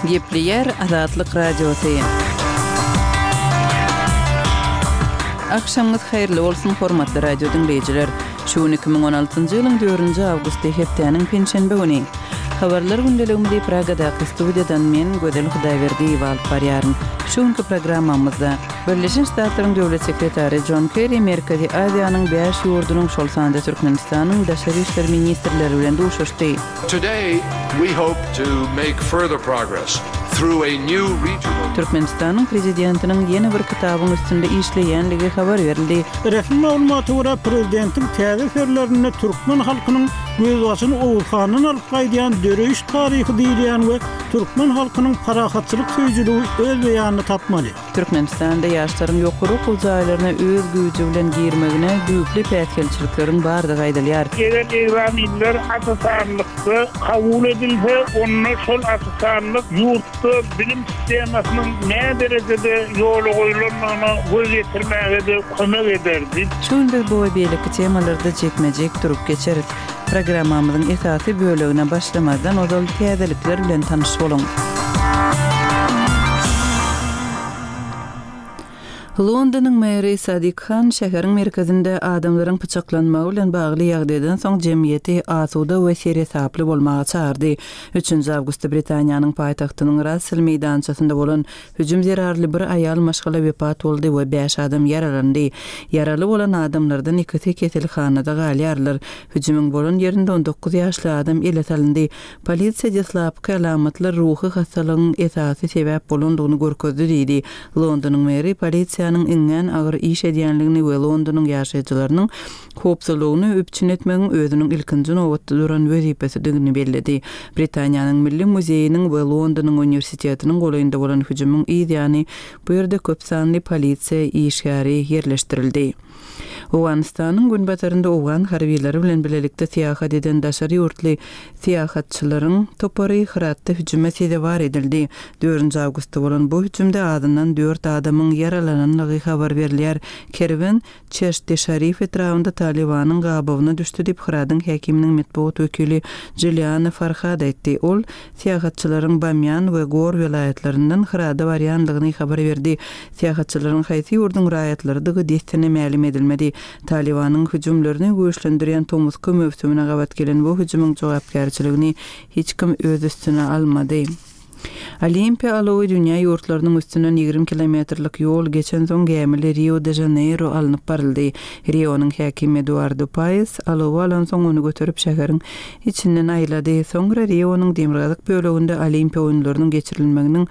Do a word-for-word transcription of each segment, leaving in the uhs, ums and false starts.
Gepleýär Azatlyk Radiosy. Agşamyňyz haýyrly bolsun, hormatly radio diňleýjiler. Şu gün iki müň on altynjy ýylyň dördünji awgusty, hepdäniň penşenbe güni. Habarlar gündeligimizi Pragadaky studiýadan men, Gözel Hudaýberdiýewa alyp barýaryn. Şu günki programmamyzda Birleşen Ştatlaryň Döwlet sekretary Jon Kerri Merkezi Aziýanyň bäş ýurdunyň, şol sanda Türkmenistanyň daşary işler ministrleri bilen duşuşdy. Today we hope to make further progress through a new regional. Türkmenistanyň Prezidentiniň ýene bir kitabyň üstünde işleýänligi habar berildi. Resmi maglumata görä, prezidentiň täze eserlerinde türkmen halkynyň gözbaşyny Oguz handan alyp gaýdýan döreýiş taryhy diýilýän we türkmen halkynyň parahatçylyk söýüjiligi öz beýanyny tapmaly. Türkmenistanda ýaşlaryň ýokary okuw jaýlaryna öz güýji bilen girmegine düýpli päsgelçilikleriň bardygy aýdylýar. Eger ekzamenler asasanlykda kabul edilse, onda şol asasanlyk ýurtda bilim sistemasynyň näderejede ýola goýlandygyna göz ýetirmäge-de kömek ederdi. Şu gün biz bu we beýleki temalarda jikme-jik durup geçeris. Programmamyzyň esasy bölegine başlamazdan ozal täzelikler bilen tanyş boluň. Londonyň meri Sadik Han şäheriň merkezinde adamlaryň pyçaklanmagy bilen bagly ýagdaýdan soň jemgyýeti asuda we seresaply bolmaga çagyrdy. Üçünji awgustda Britaniýanyň paýtagtynyň Russell meýdançasynda bolan hüjüm zerarly bir aýal maşgala wepat boldy we bäş adam ýaralandy. Ýaraly bolan adamlardan ikisi keselhanada galýarlar. Hüjümiň bolan ýerinde on dokuz ýaşly adam ele salyndy. Polisiýa deslapky alamatlar ruhy hassalygyň esasy sebäp bolandygyny görkezdi diýdi. Londonyň meri polisiýanyň iňňän agyr iş edýänligini we Londonyň ýaşaýjylarynyň howpsuzlygyny üpjün etmegiň özüniň ilkinji nobatda duran wezipesidigini belledi. Britaniýanyň Milli muzeýiniň we Londonyň uniwersitetiniň golaýynda bolan hüjümiň yz ýany bu ýerde köp sanly polisiýa işgäri ýerleşdirildi. Owganystanyň günbatarynda owgan harbylary bilen bilelikde syýahat eden daşary ýurtly syýahatçylaryň topary Hyratda hüjüme sezewar edildi. Dördünji awgustda bolan bu hüjümde azyndan dört adamyň ýaralananlygy habar berilýär. Kerwen Çeşti Şarif etrabynda Talibanyň gabawyna düşdi diýip Hyradyň häkiminiň metbugat wekili Juliana Farhad aýtdy. Ol syýahatçylaryň Bamyan we Gor welaýatlaryndan Hyrada barýanlygyny habar berdi. Syýahatçylaryň haýsy ýurduň raýatlarydygy dessine mälim edilmedi. Talibanyň hüjümlerini güýçlendirýän tomusky möwsümine gabat gelen bu hüjümiň jogapkärçiligini hiç kim öz üstüne almady. Olimpiýa alowy dünýä ýurtlarynyň üstünden ýigrimi kilometrlik ýol geçen soň gämili Rio de Janeiro alnyp baryldy. Rionyň häkimi Eduardo Paes alowy alan soň ony göterip şäheriň içinden aýlady. Soňra Rionyň demirgazyk böleginde Olimpiýa oýunlarynyň geçirilmeginiň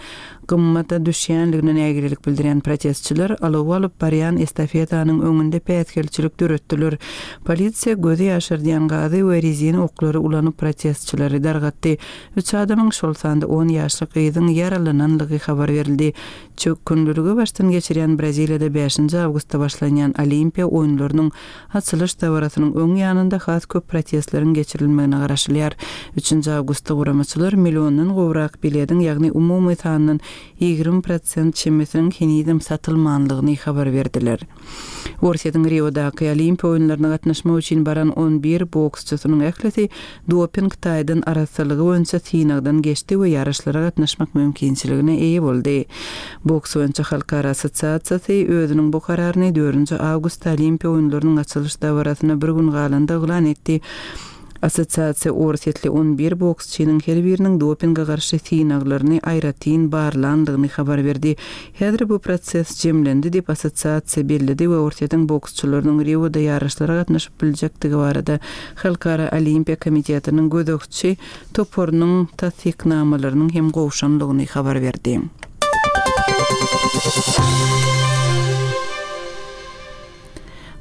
gymmata düşýänligine nägilelik bildirýän protestçiler alowy alyp barýan estafetanyň öňünde päsgelçilik döretdiler. Polisiýa gözi ýaşardýan gazy we rezin oklary ulanyp protestçileri dargatdy. Üç adamyň şol sanda on ýaşly gyzyň ýaralananlygy habar berildi. Çökgünliligi başdan geçirýän Braziliýada bäşinji awgustda başlanýan Olimpiýa oýunlarynyň açylyş dabarasynyň öň ýanynda has köp protestleriň geçirilmegine garaşylýar. Üçünji awgustda guramaçylar milliondan gowrak bilediň, ýagny umumy sandan ýigrimi prosent çemesiniň henizem satylmanlygyny habar berdiler. Orsýetiň Riodaky Olimpiýa oýunlaryna gatnaşmak üçin baran on bir boksçysynyň ählisi doping taýdan arassalygy boýunça synagdan geçdi we ýaryşlara gatnaşmak mümkinçiligine eýe boldy. Boks boýunça Halkara Assosiasiýasy özüniň bu kararyny dördünji awgustda Olimpiýa oýunlarynyň açylyş dabarasyna bir gün galanda yglan etdi. Assosiasiýa Orsýetli on bir boksçynyň her biriniň dopinge garşy synaglaryny aýratyn barlandygyny habar berdi. Häzir bu proses jemlendi diýip assosiasiýa belledi we Orsýetiň boksçylarynyň Rioda ýaryşlara gatnaşyp biljekdigi barada Halkara Olimpiýa Komitetiniň gözegçi toparynyň tasdiknamalarynyň hem gowşanlygyny habar berdi.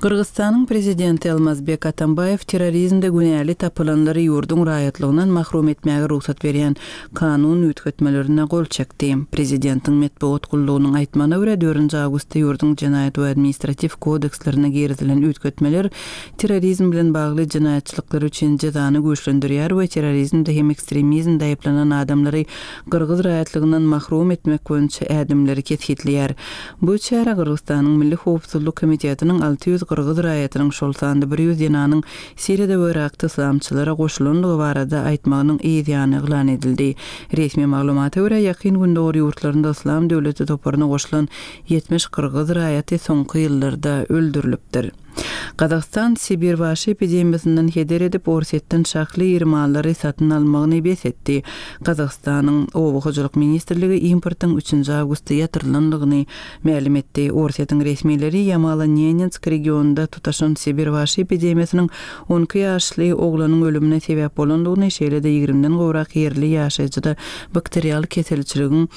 Gyrgyzystanyň prezidenti Almazbek Atambaýew terrorizmde günäli tapylanlary ýurduň raýatlygyndan mahrum etmäge rugsat berýän kanun üýtgetmelerine gol çekdi. Prezidentiň metbugat gullugynyň aýtmagyna görä, dördünji awgustda ýurduň jenaýat we administrativ kodekslerine girizilen üýtgetmeler terrorizm bilen bagly jenaýatçylyklar üçin jezany güýçlendirýär we terrorizmde hem ekstremizmde aýyplanan adamlary gyrgyz raýatlygyndan mahrum etmek boýunça ädimleri kesgitleýär. Bu çäre Gyrgyzystanyň Milli Howpsuzlyk Komitetiniň alty ýüz gyrgyz raýatynyň, şol sanda bir ýüz zenanyň Siriýada we Yrakda yslamçylara goşulandygy barada aýtmagynyň yz ýany yglan edildi. Resmi maglumata görä, Ýakyn Gündogar ýurtlarynda Yslam döwleti toparyna goşulan ýetmiş gyrgyz raýaty soňky ýyllarda öldürilipdir. Gazagystan Sibir waşy epidemiýasyndan heder edip, Orsýetden şahly iri mallary satyn almagyny bes etdi. Gazagystanyň Oba hojalyk ministrligi importyň üçünji awgustda ýatyrylandygyny mälim etdi. Orsýetiň resmileri Ýamalo-Nenetsk regionynda tutaşan Sibir waşy epidemiýasynyň on iki ýaşly oglanyň ölümine sebäp bolandygyny, şeýle-de ýigrimiden gowrak ýerli ýaşaýjyda bakterial keselçiligiň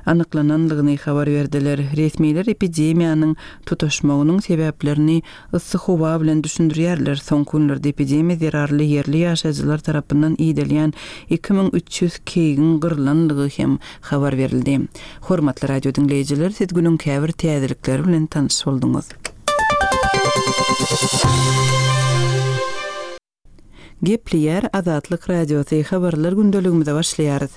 anyklanandygyny habar berdiler. Resmiler epidemiýanyň tutaşmagynyň sebäplerini yssy howa bilen düşündirýärler. Soňky günlerde epidemiýa zerarly ýerli ýaşaýjylar tarapyndan iýdilýän iki müň üç ýüz keýigiň gyrylandygy hem habar berildi. Hormatly radio diňleýjiler, siz günüň käbir täzelikleri bilen tanyş bolduňyz. Gepleýär Azatlyk Radiosy, habarlar gündeligimize başlaýarys.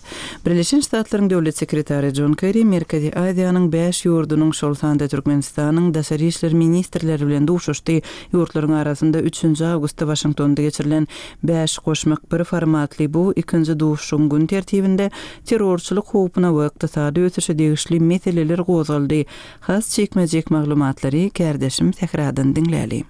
Birleşen Ştatlaryň Döwlet Sekretary John Kerry Merkezi Aziýanyň bäş ýurdunyň, şol sanda Türkmenistanyň daşary işler ministrleri bilen duşuşdy. Ýurtlaryň arasynda üçünji awgustda Waşingtonda geçirilen bäş goşmak bir formatly bu ikinji duşuşygyň gün tertibinde terrorçylyk howpuna we ykdysady ösüşe degişli meseleler gozgaldy. Has çekmejek maglumatlary kärdeşim Sähradan diňläli.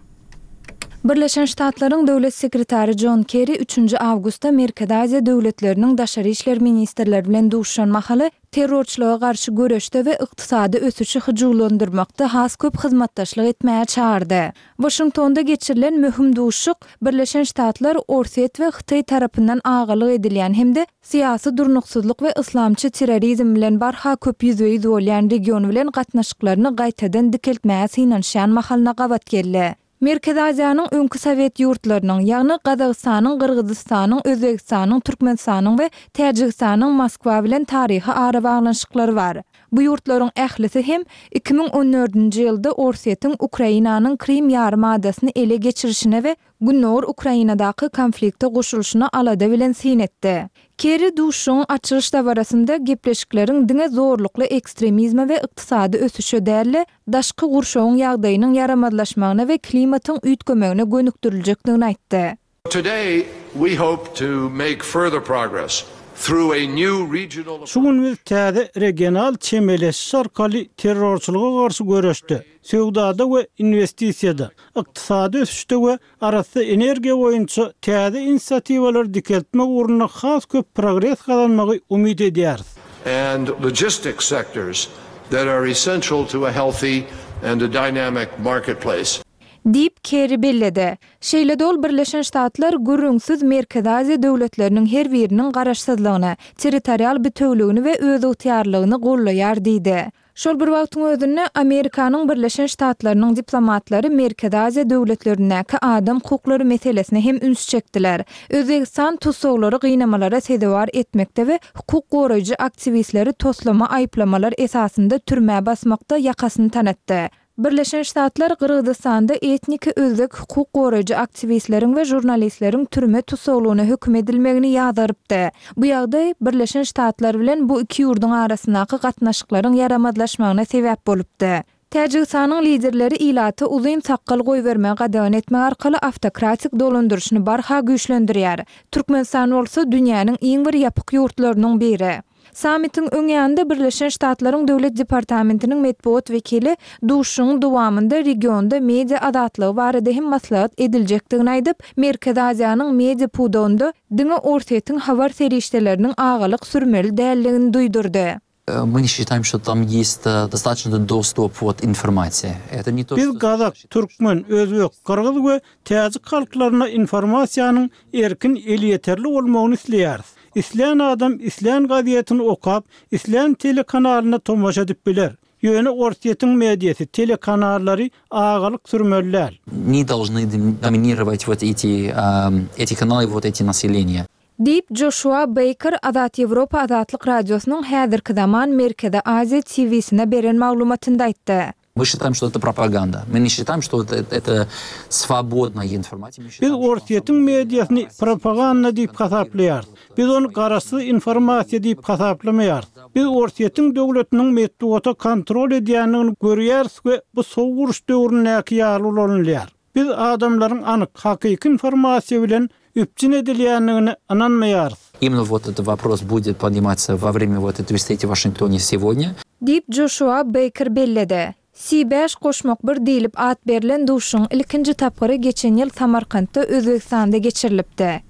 Birleşen Ştatlaryň Döwlet Sekretary John Kerry üçünji awgustda Merkezi Aziýa döwletleriniň daşary işler ministrleri bilen duşuşan mahaly terrorçylyga garşy göreşde we ykdysady ösüşi hyjuwlandyrmakda has köp hyzmatdaşlyk etmäge çagyrdy. Waşingtonda geçirilen möhüm duşuşyk Birleşen Ştatlar, Orsýet we Hytaý tarapyndan agalyk edilýän hem-de syýasy durnuksyzlyk we yslamçy terrorizm bilen barha köp ýüzbe-ýüz bolýan region bilen gatnaşyklaryny gaýtadan dikeltmäge synanyşýan mahalyna gabat geldi. Merkezi Aziýanyň öňki Sowet ýurtlarynyň, ýagny Gazagystanyň, Gyrgyzystanyň, Özbegistanyň, Türkmenistanyň we Täjigistanyň Moskwa bilen taryhy arabaglanyşyklary bar. Bu ýurtlaryň ählisi hem iki müň on dördünji ýylda Orsýetiň Ukrainanyň Krim ýarym adasyny ele geçirişine we Gündogar Ukrainadaky konflikte goşulyşyna alada bilen syn etdi. Kerry duşuşygyň açylyş dabarasynda gepleşikleriň diňe zorlukly ekstremizme we ykdysady ösüşe däl-de, daşky gurşawyň ýagdaýynyň ýaramazlaşmagyna we klimatyň üýtgemegine gönükdiriljekdigini aýtdy. Today we hope to make further progress through a new regional Şu gün biz täze regional çemeleşiş arkaly terrorçylyga garşy göreşde, söwdada we investisiýada, ykdysady ösüşde we arassa energiýa boýunça täze inisiatiwalary dikeltmek ugrunda has köp progres gazanmagy umyt edýäris. And logistics sectors that are essential to a healthy and a dynamic marketplace. Diýip, Kerry belledi. Şeýle-de ol Birleşen Ştatlar gürrüňsiz Merkezi Aziýa döwletleriniň her biriniň garaşsyzlygyny, territorial bütewligini we özygtyýarlygyny gollaýar diýdi. Şol bir wagtyň özünde Amerikanyň Birleşen Ştatlarynyň diplomatlary Merkezi Aziýa döwletlerindäki adam hukuklary meselesine hem üns çekdiler. Özbegistan tussaglary gynamalara sezewar etmekde we hukuk goraýjy aktiwistleri toslama aýyplamalar esasynda türmä basmakda ýakasyny tanatdy. Birleşen Ştatlar Gyrgyzystanda etniki özbek hukuk goraýjy aktiwistleriň we žurnalistleriň türme tussaglygyna höküm edilmegini ýazarypdy. Bu ýagdaý Birleşen Ştatlar bilen bu iki ýurduň arasyndaky gatnaşyklaryň ýaramazlaşmagyna sebäp bolupdy. Täjigistanyň liderleri ilaty uzyn sakgal goýbermegi gadagan etmek arkaly awtokratik dolandyryşyny barha güýçlendirýär. Türkmenistan bolsa dünýäniň iň bir ýapyk ýurtlarynyň biri. Sammitiň öň ýanynda Birleşen Ştatlaryň Döwlet Departamentiniň metbugat wekili duşuşygyň dowamynda regionda media azatlygy barada hem maslahat ediljekdigini aýdyp, Merkezi Aziýanyň media pudagynda diňe Orsýetiň habar serişdeleriniň agalyk sürmeli däldigini duýdurdy. Мы не считаем, что там есть достаточно доступ вот информации. Это не то, Biz что gazak, türkmen, özbek, gyrgyz we täjik halklaryna informasiýanyň erkin elýeterli bolmagyny isleýäris. Islän adam islän gazetini okap, islän telekanalyna tomaşa edip biler. Ýöne Orsýetiň mediasy, telekanallary agalyk sürmeliler. Не должны доминировать вот эти, эм, эти каналы, вот эти населения. Diýip Joshua Baker Azat Ýewropa Azatlyk Radiosynyň häzirki zaman Merkezi Aziýa T V-sine beren maglumatynda aýtdy. Мы считаем, что это пропаганда. Мы не считаем, что это, это свободная информация. Biz Orsýetiň mediasyny propaganda diýip hasaplaýarys. Biz ony garaşsyz informasiýa diýip hasaplamaýarys. Biz Orsýetiň döwletiniň metbugata kontrol edýänini görýäris we bu sowuk uruş döwründäki ýaly ulanylýar. Biz adamlaryň anyk hakyky informasiýa bilen üpjün edilýändigine ynanmaýarys. Именно вот этот вопрос будет подниматься во время вот этой встречи в Вашингтоне сегодня. Diýip Joşua Beýker belledi. C bäş goşmak bir diýlip at berlen duşuşygyň ilkinji tapgyry geçen ýyl Samarkantda Özbegistanda geçirilipdi.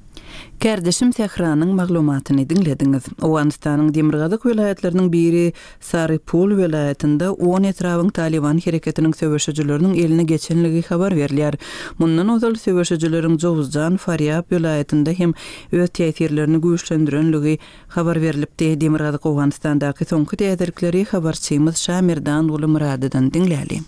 Kärdeşim Sähranyň maglumatyny diňlediňiz. Owganystanyň demirgazyk welaýatlarynyň biri Sarypul welaýatynda on etrabyň Taliban hereketiniň söweşijileriniň eline geçenligi habar berilýär. Mundan ozal söweşijileriň Jowzjan, Farýab welaýatynda hem öz täsirlerini güýçlendirenligi habar berilipdi. Demirgazyk Owganystandaky soňky täzelikleri habarçymyz Şamirdan Gulumyradydan diňläli.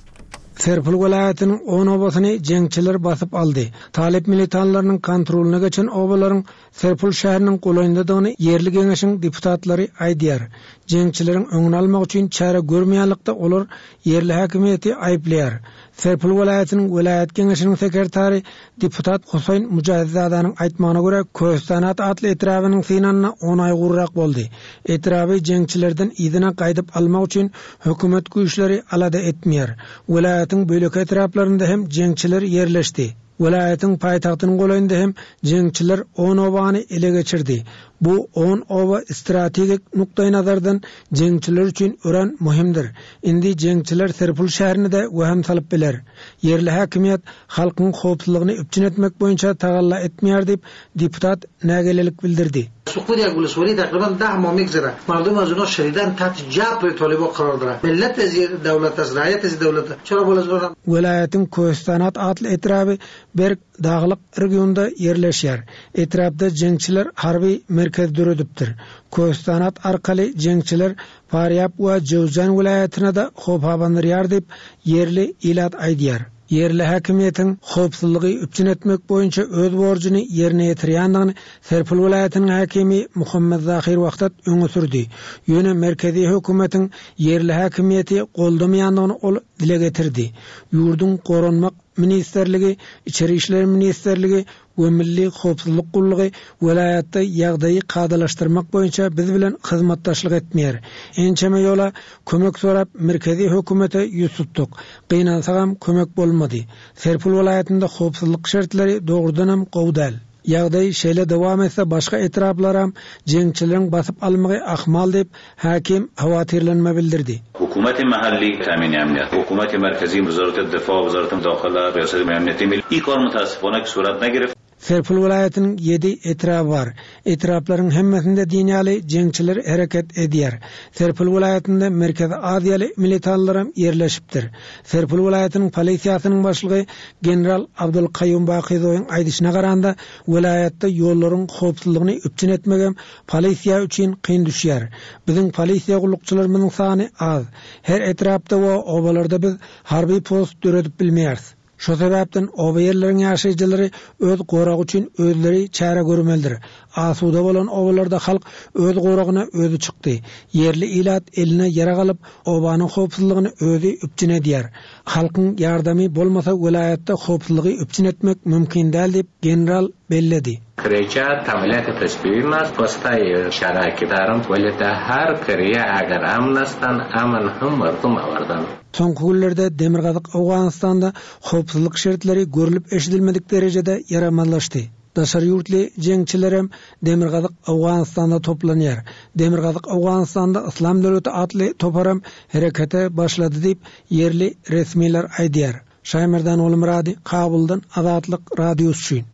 Serpil welaýatynyň on obasyny jeňçiler basyp aldy. Talip militanlarynyň kontrolyna geçen obalaryň Serpil şäheriniň golaýyndadygyny ýerli geňeşiň deputatlary aýdýar. Jeňçileriň öňüni almak üçin çäre görmeýänlikde olar ýerli häkimiýeti aýyplaýar. Serpil welaýatynyň welaýat geňeşiniň sekretary deputat Huseýn Mujahidзadanyň aýtmagyna görä Köstanat atly etrabynyň synanyna on aý gurrak boldy. Etraby jeňçilerden yzyna gaýdyp almak üçin hökümet güýçleri alada etmeýär. Welaýatyň bölek etraplarynda hem jeňçiler ýerleşdi. Welaýatyň paýtagtynyň golaýynda hem jeňçiler on obany ele geçirdi. Bu on oba strategik nukdaý nazardan jeňçiler üçin örän möhümdir. Indi jeňçiler Serpil şäherine de wehim salyp biler. Ýerli häkimiýet halkyň howpsuzlygyny üpjün etmek boýunça tagalla etmeýär diýip deputat nägilelik bildirdi. سقوط یک ولسوالی تقریبا ده ماه میگذره. مردم از اونا شدیداً تحت جبر طالبان قرار دارن. ملت از دولت است، رعیت از دولت است. چرا بالا از Welaýatyň Köstanat atly etraby berk daglyk regionda ýerleşýär. Etrapda jeňçiler harby merkez döredipdir. Köstanat arkaly jeňçiler Farýab we Jowzjan welaýatyna da howp abandyrýar diýip ýerli ilat aýdýar. Ýerli häkimiýetiň howpsuzlygy üpjün etmek boýunça öz borjuny ýerine ýetirýändigini Serpil welaýatynyň häkimi Muhammed Zahir Wahdat öňe sürdi. Ýöne merkezi hökümetiň ýerli häkimiýeti goldamaýandygyny ol dile getirdi. Ýurduň goranmak ministrligi, Içeri işler ministrligi we Milli howpsuzlyk gullugy welaýatda ýagdaýy kadalaşdyrmak boýunça biz bilen hyzmatdaşlyk etmeýär. Ençeme ýola kömek sorap merkezi hökümete ýüz tutduk. Gynansagam kömek bolmady. Serpil welaýatynda howpsuzlyk şertleri dogrudanam gowy däl. Ýagdaý şeýle dowam etse başga etraplaram jeňçileriň basyp almagy ahmal diýip hakim hawatirlenme bildirdi. Hukumet mahalli temin emniyet, hukumet merkezi wezaret difa, wezaret dakhila, riyaset emniyeti milli i kar mutassifona ki surat negireft. Serpil welaýatynyň ýedi etraby bar. Etraplaryň hemmesinde dinýaly jeňçiler hereket edýär. Serpil welaýatynda Merkezi Aziýaly militanlaram ýerleşipdir. Serpil welaýatynyň polisiýasynyň başlygy general Abdul Kaýum Bakyzowyň aýdyşyna garanda welaýatda ýollaryň howpsuzlygyny üpjün etmegem polisiýa üçin kyn düşýär. Biziň polisiýa gullukçylarymyzyň sany az. Her etrapda we obalarda biz harby post döredip bilmeýäris. Şo sebäpden oba ýerleriň ýaşaýjylary öz goragy üçin özleri çäre görmelidir. Asuda bolan obalarda halk öz goragyna özi çykdy. Ýerli ilat eline ýara alyp, obanyň howpsuzlygyny özi üpjün edýär. Halkyň ýardamy bolmasa welaýatda howpsuzlygy üpjün etmek mümkin däl diýip general belledi. Kreça tamiliyat tasbih postay şaraki daram welita har kriya agar amnastan aman hum mardum awardan. Soňky günlerde Demirgazyk Owganystanda howpsuzlyk şertleri görülüp eşidilmedik derejede ýaramazlaşdy. Daşary ýurtly jeňçilerem Demirgazyk Owganystanda toplanýar. Demirgazyk Owganystanda Islam döwleti atly toparam herekete başlady diýip ýerli resmiler aýdýar. Şaýmerdan Olmurady, Kabuldan Azatlyk Radiosy üçin.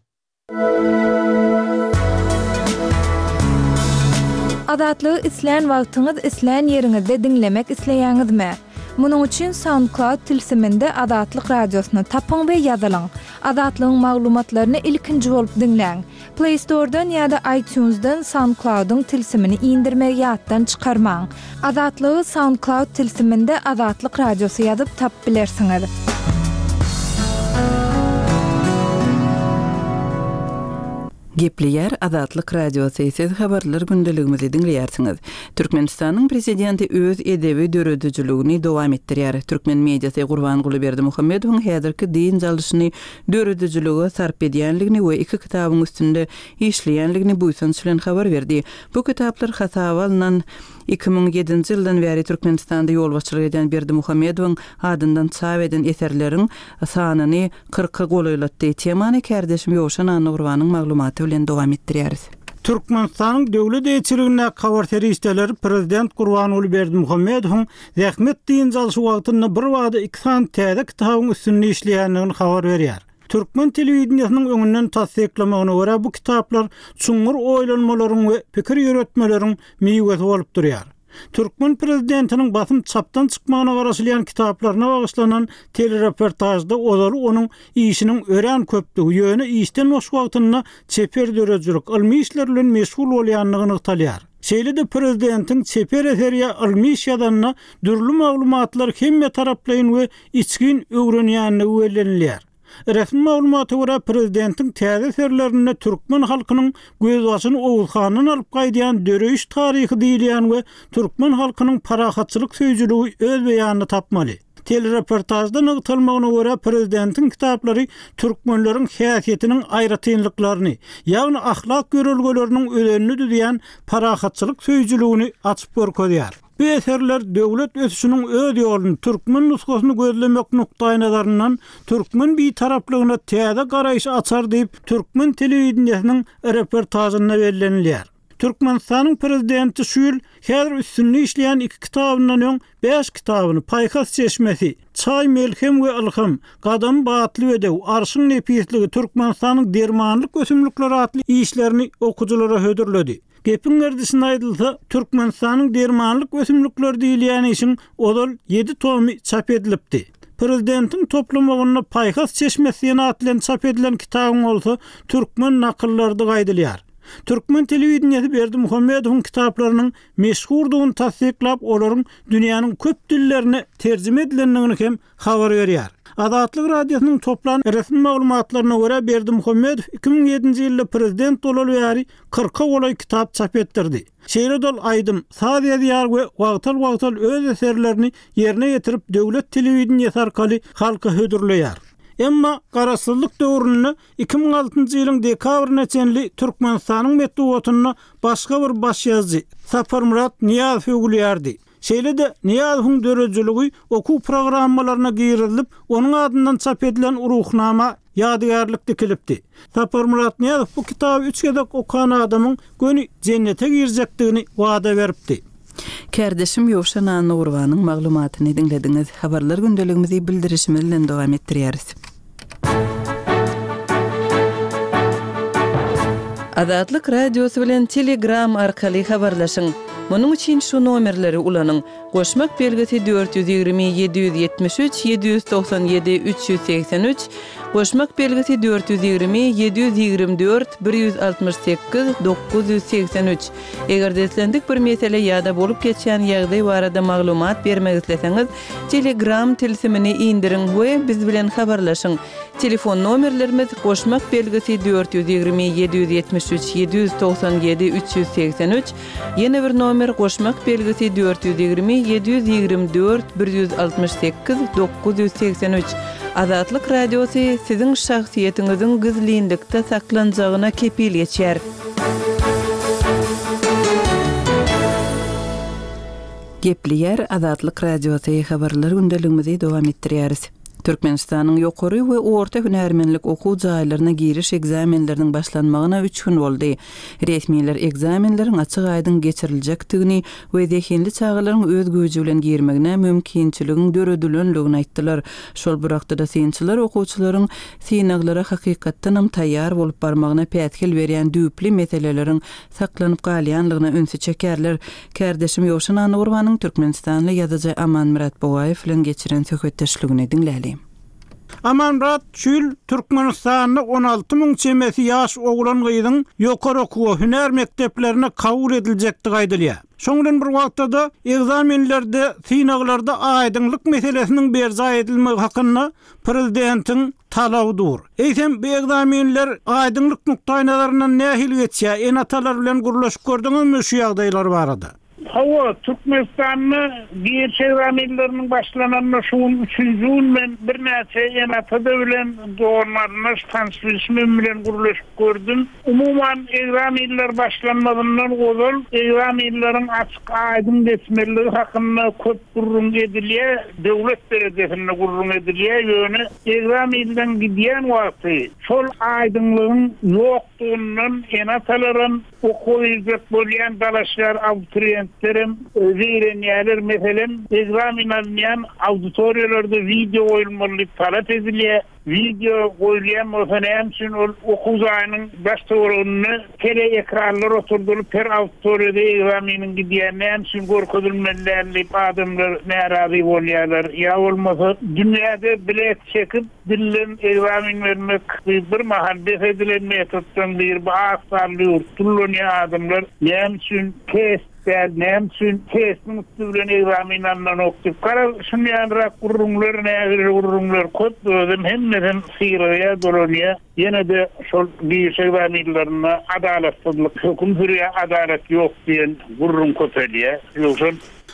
Azatlygy islän wagtyňyz islän ýeriňizde diňlemek isleýäňizmi? Munuň üçin SoundCloud tilsiminde Azatlyk radiosyny tapyň we ýazylyň. Azatlygyň maglumatlaryny ilkinji bolup diňläň. Play Store'dan ýa-da iTunes'dan SoundCloud'yň tilsimini indirmegi ýatdan çykarmaň. Azatlygy SoundCloud tilsiminde Azatlyk radiosy ýazyp tap bilersiňiz. Gepleýär Azatlyk Radiosy, siz habarlar gündeligimizi diňleýärsiňiz. Türkmenistanyň prezidenti öz edebi döredijiligini dowam etdirýär. Türkmen mediasy Gurbanguly Berdimuhamedowyň häzirki dynç alyşyny döredijilige sarp edýänligini we iki kitabyň üstünde işleýänligini buýsanç bilen habar berdi. Bu kitaplar hasaba alnan iki müň ýedinji ýyldan bäri Türkmenistanda ýolbaşçylyk edýän Berdimuhamedowyň adyndan çap eden eserleriň sanyny kyrka golaýlatdy. Temany kärdeşim Ýowşan Annagurbanyň maglumaty bilen dowam etdirýäris. Türkmenistanyň döwlet eýeçiligindäki habar serişdeleri prezident Gurbanguly Berdimuhamedowyň zähmet dynç alyşy wagtynda bir wada iki sany täze kitabyň üstünde işleýändigini habar berýär. Türkmen telewideniýesiniň öňünden tassyklamagyna görä bu kitaplar çuňňur oýlanmalaryň we pikir ýöretmeleriň miwesi bolup durýar. Türkmen prezidentiniň basym çapdan çykmagyna garaşylýan kitaplaryna bagyşlanan telereportajda ozaly onuň işiniň örän köpdügi, ýöne işden boş wagtynda çeper döredijilik, ylmy işler bilen meşgul bolýandygy nygtalýar. Şeýle-de prezidentiň çeper eseri ýa ylmy iş ýazanyna dürli maglumatlar hemme taraplaýyn we içgin öwrenýändigi bellenilýär. Resmi maglumata görä prezidentiň täze eserlerinde türkmen halkynyň gözbaşyny Oguzhandan alyp gaýdýan döreýiş taryhy diýilýän we türkmen halkynyň parahatçylyk söýüjiligi öz beýanyny tapmaly. Telereportajda nygtalmagyna görä prezidentiň kitaplary türkmenleriň häsiýetiniň aýratynlyklaryny, ýagny ahlak ýörelgeleriniň özenini düzýän parahatçylyk söýüjiligini açyp görkezýär. Bu eserler döwlet ösüşiniň öz ýoluny türkmen nusgasyny gözlemek nukdaýnazaryndan türkmen bitaraplygyna täze garaýyş açar diýip türkmen telewideniýesiniň reportajynda bellenilýär. Türkmenistanyň prezidenti şu ýyl häzir üstünde işleýän iki kitabyndan öň bäş kitabyny Paýhas çeşmesi, Çaý melhem we ylham, Gadam batly bedew, Arşyň nepisligi, Türkmenistanyň dermanlyk ösümlikleri atly işlerini okyjylara hödürledi. Gepiň gerdişine aýdylsa, Türkmenistanyň dermanlyk ösümlikleri diýilýän işiň ozal ýedi tomy çap edilipdi. Prezidentiň toplamagynda Paýhas çeşmesi diýen at bilen çap edilen kitabyň bolsa türkmen nakyllary aýdylýar. Türkmen telewideniýesi Berdimuhamedowyň kitaplarynyň meşhurdygyny tassyklap, olaryň dünýäniň köp dillerine terjime edilendigini hem habar berýär. Azatlyk Radiosynyň toplan resmi maglumatlaryna görä Berdimuhamedow iki müň ýedinji ýylda prezident bolaly bäri kyrka golaý kitap çap etdirdi. Şeýle dol aýdym, saz ýazýar we wagtal-wagtal öz eserlerini ýerine ýetirip döwlet telewideniýesi arkaly halka hödürleýär. Emma garaşsyzlyk döwründe iki müň altynjy ýylyň dekabryna çenli Türkmenistanyň metbugatynda başga bir baş ýazyjy Saparmyrat Nyýazow öwülýärdi. Şeýle-de Nyýazowyň döredijiligi okuw programmalaryna girizilip, onuň adyndan çap edilen ruhnama ýadygärlik dikilipdi. Saparmyrat Nyýazow bu kitaby üç gezek okan adamyň göni jennete girjekdigini wada beripdi. Kärdeşim Ýowşan Annagurbanyň maglumatyny diňlediňiz. Habarlar gündeligimizi bildirişimiz bilen dowam etdirýäris. Azatlyk Radiosy bilen Telegram arkaly habarlaşyň. Munuň üçin şu nomerleri ulanyň. Goşmak belgisi dört ýüz ýigrimi ýedi ýüz ýetmiş üç ýedi ýüz togsan ýedi üç ýüz segsen üç, goşmak belgisi dört ýüz ýigrimi ýedi ýüz ýigrimi dört bir ýüz altmyş sekiz dokuz ýüz segsen üç. Eger islendik bir mesele ýa-da bolup geçýän ýagdaý barada maglumat bermek isleseňiz, Telegram tilsimini indiriň we biz bilen habarlaşyň. Telefon nomerlerimiz goşmak belgisi dört ýüz ýigrimi ýedi ýüz ýetmiş üç ýedi ýüz togsan ýedi üç ýüz segsen üç, ýene bir nomer goşmak belgisi dört ýüz ýigrimi ýedi ýüz ýigrimi dört bir ýüz altmyş sekiz dokuz ýüz segsen üç. Azatlyk Radiosy siziň şahsyýetiňiziň gizlinlikde saklanjagyna kepil geçer. Gepleýär Azatlyk Radiosy habarlar gündeligimizi dowam etdirýäris. Türkmenistanyň ýokary we orta hünärmenlik okuw jaýlaryna giriş ekzamenleriniň başlanmagyna üç gün boldy. Resmiler ekzamenleriň açyk aýdyň geçiriljekdigini we zehinli çagalaryň öz güýji bilen girmegine mümkinçiligiň döredilenligini aýtdylar. Şol bir wagtda da synçylar okuwçylaryň synaglara hakykatdanam taýýar bolup barmagyna päsgel berýän düýpli meseleleriň saklanyp galýanlygyna ünsi çekerler. Kärdeşim Ýowşan Annagurbanyň Türkmenistanly ýazyjy Amanmyrat Bogaýew bilen geçiren söhbetdeşligini diňläli. Amanmyrat, şu ýyl Türkmenistanda on alty müň çemesi ýaş oglan-gyzyň ýokary okuw hünär mekdeplerine kabul ediljekdigi aýdylýar. Şoň bilen bir wagtda-da ekzamenlerde, synaglarda aýdyňlyk meselesiniň berjaý edilmegi hakynda prezidentiň talaby dur. Eýsem bu ekzamenler aýdyňlyk nukdaýnazaryndan nähili geçýär? Ene-atalar bilen gürleşip gördüňizmi şu ýagdaýlar barada? Hawa, Türkmenistanda giriş ekzamenleriniň başlananyna şu gün üçünji gün men birnäçe ene-ata bilen doganlarynda tanyş-bilişim bilen gürleşip gördüm. Umuman ekzamenler başlanmazyndan ozal ekzamenleriň açyk aýdyň geçmeliligi hakynda köp gürrüň edilýär, döwlet derejesinde gürrüň edilýär, ýöne ekzamenden gidýän wagty şol aýdyňlygyň ýokdugundan ene-atalaram okuwa girjek bolýan dalaşgar abituriyentlerim zeýrenýärler. Meselem, ekzamen alynýan auditoriýalarda wideo goýulmaly talap edilýär. Wideo goýulýan bolsa näme üçin ol okuw jaýynyň baş töwereginde tele ekranlar oturdylyp her auditoriýada ekzameniň gidýän näme üçin görkezilmeli däl diýip adamlar närazy bolýarlar. Ýa bolmasa dünýäde bilet çekip dillen ekzamen bermek bir mahal bes edilen metoddan bir bu az sanly ýurt ullanýan adamlar näme üçin test däl, näme üçin testin üstü bilen ekzamen alynanok diýip. Gara şunýanrak gürrüňler, nägile gürrüňler köp özüm hemmesem syraya dolanýar. Ýene de şol giriş ekzamenlerinde adalatsyzlyk höküm sürýär, adalat ýok diýen gürrüň köpelýär. Ýogsa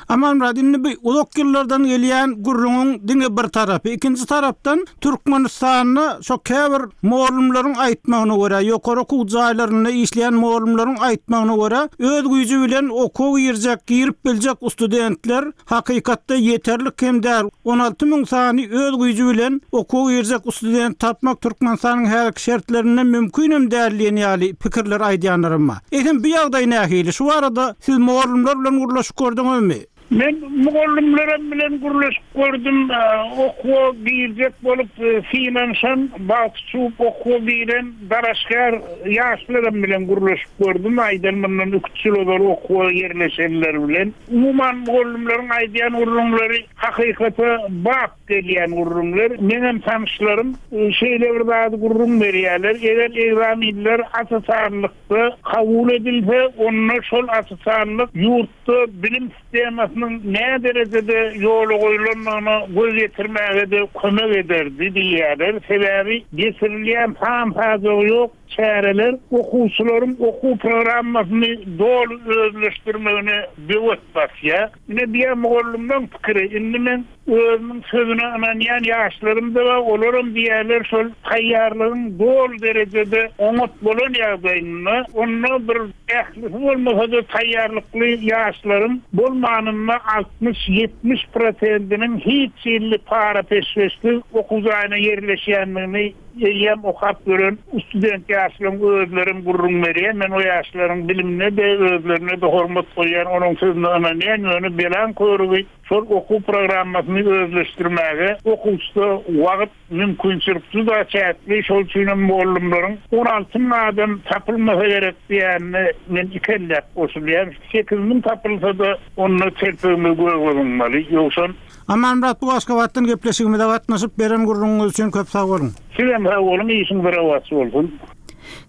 Amanmyrat, indi bu uzak ýyllardan gelýän gürrüňiň diňe bir tarapy, ikinji tarapdan Türkmenistanda şo käbir mugallymlaryň aýtmagyna görä, ýokary okuw jaýlarynda işleýän mugallymlaryň aýtmagyna görä, öz güýji bilen okuwa girjek, girip biljek studentler hakykatda ýeterlik hem däl. on alty müň sany öz güýji bilen okuwa girjek student tapmak Türkmenistanyň häzirki şertlerinde mümkin hem däl diýen ýaly pikirler aýdýanlarym bar. Eýsem bu ýagdaý nähili? Şu arada siz mugallymlar bilen gürleşip gördüňizmi? Men mugallymlarym bilen gürleşip gördüm, okuwa girjek bolup synanyşan, bagtçy okuwa giren dalaşgär ýaşlarym bilen gürleşip gördüm. Aýdan mundan üç ýyl ozal okuwa ýerleşenler bilen. Umuman mugallymlaryň aýdýan gürrüňleri hakykata bap gelýän gürrüňler. Menem tanyşlarym şeýle bir zady gürrüň berýärler. Eger ekzamenler asasanlykda kabul edilse, onda şol asasanlyk ýurtda bilim sistemasynyň nä derejede ýola goýulandygyna göz ýetirmäge de kömek ederdi diýýärler. Sebäbi geçirilýän san-sajagy ýok çäreler okuwçylaryň okuw programmasyny doly özleşdirmegine böwet basýar. Ine diýen mugallymlaryň pikiri, indi men özümiň sözüne ynanýan ýaşlarym da bar, olaram diýerler şol taýýarlygyň doly derejede oňat bolan ýagdaýynda, onda bir ählisi bolmasa-da taýýarlykly ýaşlaryň bolmanynda altmyş ýetmiş prosentiniň hiç ýylly para peşgeşsiz okuw jaýyna ýerleşýändigini eýýäm okap gören student ýaşlaryň özlerim gürrüň berýär. Men o ýaşlaryň bilimine de özlerine de hormat goýýan, onuň sözüne ynanýan, ýöne belan körügi şol okuw programmasyny özleşdirmäge okuwçyda wagt mümkinçilik juda çäkli. Şol üçin hem mugallymlaryň on alty müň adam tapylmasa gerek diýenine men ikelläp goşulýan. Sekiz müň tapylsa-da onda telpegimiz göge zyňmaly. Ýogsa Amanmyrat, bu Aşgabatdan gepleşigimize gatnaşyp beren gürrüňiňiz üçin köp sag boluň. Sizem sag boluň, işiňiz rowaç bolsun.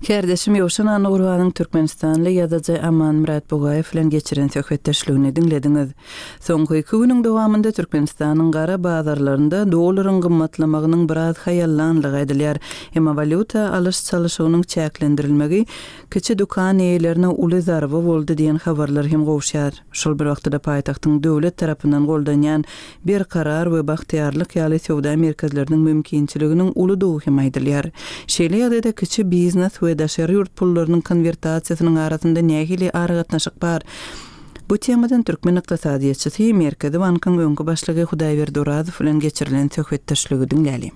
Kärdeşim Ýowşan Annagurbanyň Türkmenistanly ýazyjy Amanmyrat Bugaýew bilen geçiren söhbetdeşligini diňlediňiz. Soňky iki günüň dowamynda Türkmenistanyň gara bazarlarynda dollaryň gymmatlamagynyň biraz haýallanlygy aýdylýar. Emma walýuta alyş-çalyşygynyň çäklendirilmegi kiçi dükan eýelerine uly zarba boldy diýen habarlar hem gowşar. Şol bir wagtda paýtagtyň döwlet tarapyndan goldanýan Berkarar we Bagtyýarlyk ýaly söwda merkezleriniň mümkinçiliginiň uludygy hem aýdylýar. Şeýle ýagdaýda kiçi biznes we daşary ýurt pullarynyň konwertasiýasynyň arasynda nähili aragatnaşyk bar? Bu temadan Türkmen ykdysadyýetçisi Merkezi Bankyň öňki başlygy Hudaýberdi Orazow bilen geçirilen söhbetdeşligi diňläli.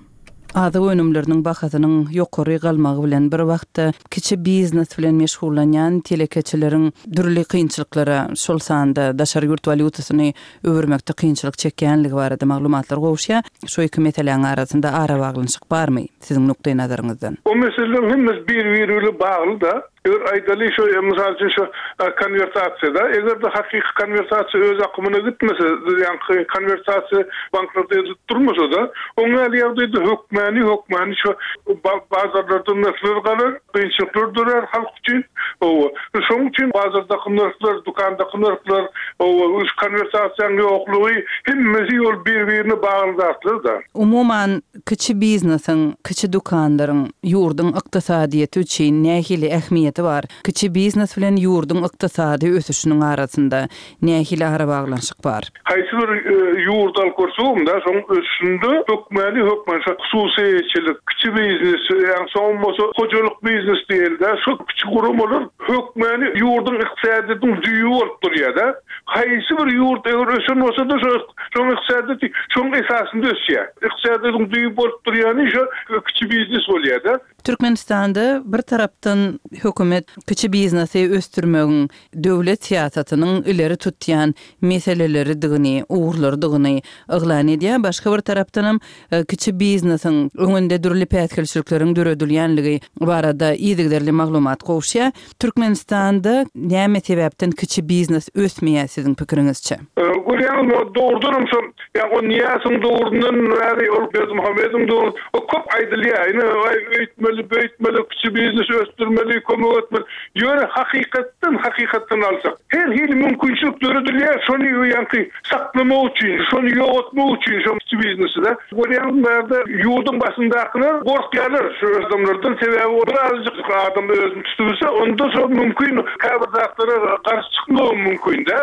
Azyk önümleriniň bahasynyň ýokary galmagy bilen bir wagtda kiçi biznes bilen meşgullanýan telekeçileriň dürli kynçylyklara, şol sanda daşary ýurt walýutasyny öwürmekde kynçylyk çekýänligi barada maglumatlar gowuşýar. Şu iki meseläniň arasynda arabaglanyşyk barmy siziň nukdaý nazaryňyzdan? O meseleleň hemmesi bir-biri bilen bagly da. Eger aýdaly şu mysal üçin şu konwertasiýada, eger-de hakyky konwertasiýa öz akymyna gitmese, ýa konwertasiýa banklarda edilip durmasa-da, oň ýaly ýagdaýda hökmäni hökmäni şu bazarlarda nyrhlar galar, kynçylyklar dörer halk üçin. Owa, şonuň üçin bazardaky nyrhlar, dükandaky nyrhlar, owa, konwertasiýanyň ýoklugy hemmesi ol bir-birine bagly zatlar-da. Umuman, kiçi biznesiň, kiçi dükanlaryň ýurduň ykdysadyýeti üçin nähili ähmiýeti bar? Kiçi biznes bilen ýurduň ykdysady ösüşiniň arasynda nähili arabaglanyşyk bar? Haýsy bir ýurt alyp görsegem-de, şoň ösüşinde hökmäni hökmän şo hususyýetçilik, kiçi biznes, ýagny soň bolsa hojalyk biznes diýeli-de, şo kiçi guramalar hökmäni ýurduň ykdysadyýetiniň düýbi bolup durýar-da. Haýsy bir ýurt eger ösen bolsa-da şo şoň ykdysadyýeti şoň esasynda ösýär. Ykdysadyýetiň düýbi bolup durýany şo kiçi biznes bolýar-da. Türkmenistanda bir tarapdan hökümet kiçi biznesi ösdürmegiň döwlet syýasatynyň ileri tutýan meseleleridigini, ugurlarydygyny yglan edýär. Başga bir tarapdanam kiçi biznesiň öňünde dürli päsgelçilikleriň döredilýänligi barada yzygiderli maglumat gowuşýar. Türkmenistanda näme sebäpden kiçi biznes ösmeýär siziň pikiriňizçe? Görýäňizmi, dogrudanam şol, ýa o Nyýazowyň döwründen bäri, ol Berdimuhamedowyň döwründen, o köp aýdylýar. Ine, öýtmeli, beýtmeli, kiçi biznes ösdürmeli, kömek etmeli. Ýöne hakykatdan, hakykatdan alsak, her hili mümkinçilik döredilýär, şony ýaňky saklamak üçin, şony ýok etmek üçin şo kiçi biznesi-de. Görýäňizmi, bärde ýurduň başyndakylar gorkýarlar şu adamlardan, sebäbi bir azajyk adam özüni tutup bilse, onda şo mümkin käbir zatlara garşy çykmagy mümkin-de,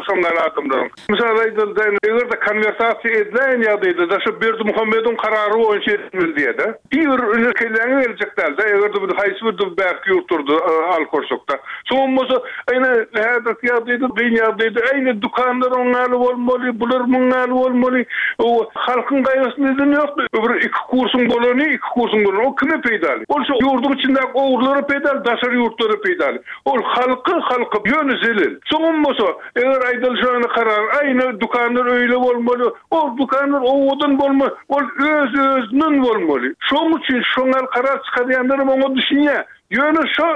şoňňal adamlaryň. Mysal aýdylda, eger-de konwertasiýa ediläýen ýagdaýda da şu Berdimuhamedowyň karary boýunça edilmeli diýýär-de. Bir ünü kelläňe geljek däl-de, eger-de bir haýsy bir bärki ýurtlarda alyp görsek-de. Soň bolsa, ýene häzirki ýagdaýda, kyn ýagdaýda, ýene dükanlar oňňaly bolmaly, bular muňňaly bolmaly. O halkyň gaýgysyny eden ýok. Bir iki kursuň bolany, iki kursuň bolany, o kime peýdaly? Ol şu ýurduň içindäki ogurlara peýdaly, daşary ýurtlara peýdaly. Ol halky, halky ýöne zelel. Soň bolsa, eger aýdylyşyna karar, aýna dükanlar öýle bolmaly, ol dükanlar owadan bolmaly, ol öz-özünden bolmaly. Şoň üçin şoňa karar çykarýanlar oňa düşünýär. Ýöne şo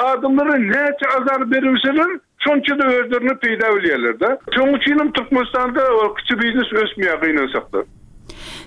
adamlara näçe azar berilseler, şonça da özlerine peýda bilýärler-de. Şoň üçin hem Türkmenistanda kiçi biznes ösmeýär gynansakda.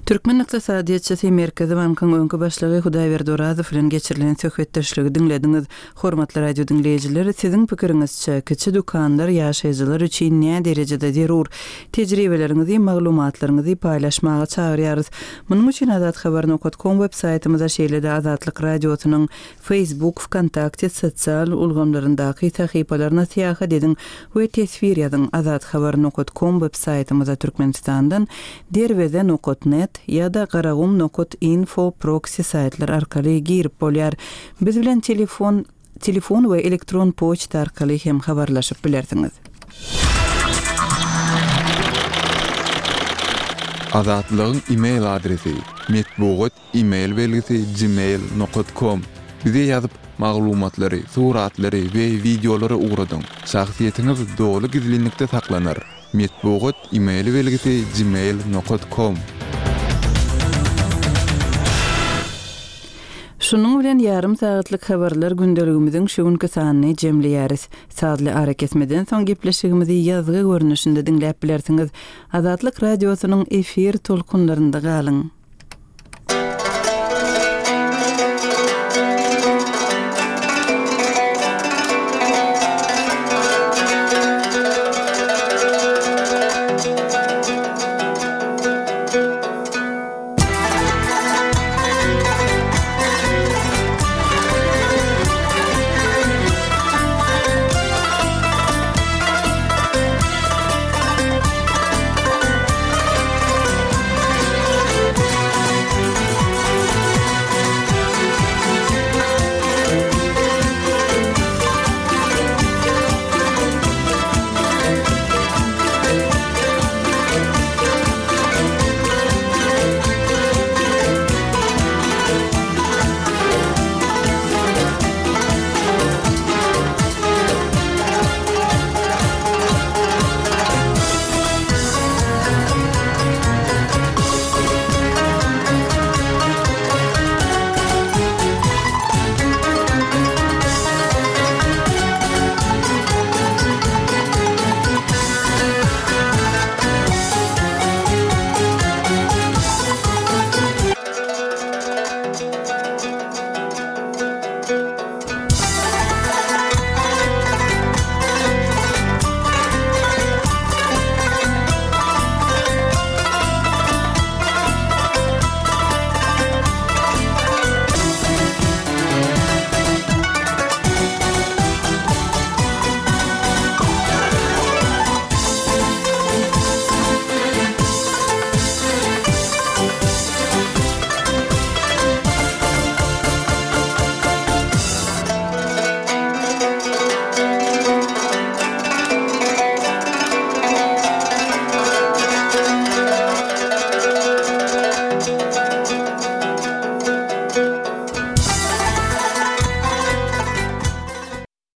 Türkmen ykdysadyýetçisi Merkezi bankyň öňki başlygy Hudaýberdi Orazow bilen geçirilen söhbetdeşligi diňlediňiz. Hormatly radio diňleýjiler, siziň pikiriňizçe kiçi dükanlar ýaşaýjylar üçin näme derejede zerur? Tejribeleriňizi, maglumatlaryňyzy paýlaşmaga çagyrýarys. Munuň üçin azathabar nokta com web saýtymyza şeýle-de Azatlyk radiosynyň Facebook, VKontakte sosial ulgamlaryndaky sahypalaryna syýahat ediň we teswir ýazyň. Azathabar nokta com web saýtymyza Türkmenistandan derweze nokta net ýa-da garagum nokta info proxy saýtlar arkaly girip bolýar. Biz bilen telefon, telefon we elektron poçta arkaly hem habarlaşyp bilersiňiz. Azatlygyň e-mail adresi metbugat e-mail belgisi gmail nokta com. Bize ýazyp maglumatlary, suratlary we wideolary ugradyň. Şahsyýetiňiz doly gizlinlikde saklanar. Metbugat e-mail belgisi gmail nokta com. Şunuň bilen ýarym sagatlyk habarlar gündeligimiziň şu günki sanyny jemleýäris. Sazly arakesmeden soň gepleşigimizi ýazgy görnüşinde diňläp bilersiňiz. Azatlyk radiosynyň efir tolkunlarynda galyň.